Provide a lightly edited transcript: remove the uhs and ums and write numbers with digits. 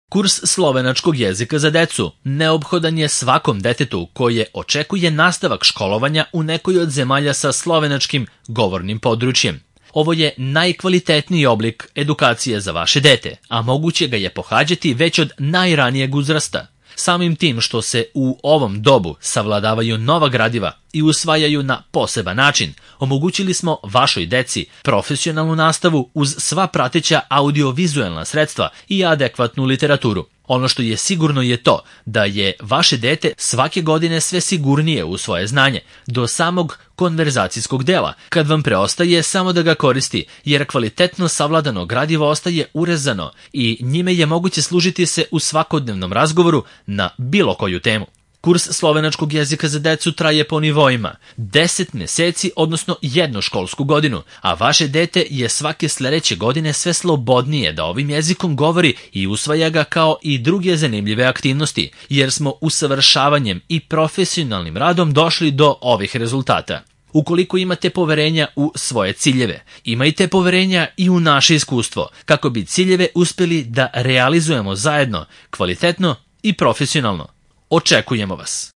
Kurs slovenačkog jezika za decu neophodan je svakom detetu koje očekuje nastavak školovanja u nekoj od zemalja sa slovenačkim govornim područjem. Ovo je najkvalitetniji oblik edukacije za vaše dete, a moguće ga je pohađati već od najranijeg uzrasta. Samim tim što se u ovom dobu savladavaju nova gradiva i usvajaju na poseban način, omogućili smo vašoj deci profesionalnu nastavu uz sva prateća audiovizualna sredstva i adekvatnu literaturu. Ono što je sigurno je to da je vaše dete svake godine sve sigurnije u svoje znanje, do samog konverzacijskog dela, kad vam preostaje samo da ga koristi, jer kvalitetno savladano gradivo ostaje urezano i njime je moguće služiti se u svakodnevnom razgovoru na bilo koju temu. Kurs slovenačkog jezika za decu traje po nivoima 10 meseci, odnosno jednu školsku godinu, a vaše dete je svake sledeće godine sve slobodnije da ovim jezikom govori i usvaja ga kao i druge zanimljive aktivnosti, jer smo usavršavanjem i profesionalnim radom došli do ovih rezultata. Ukoliko imate poverenja u svoje ciljeve, imajte poverenja i u naše iskustvo, kako bi ciljeve uspeli da realizujemo zajedno, kvalitetno i profesionalno. Očekujemo vas!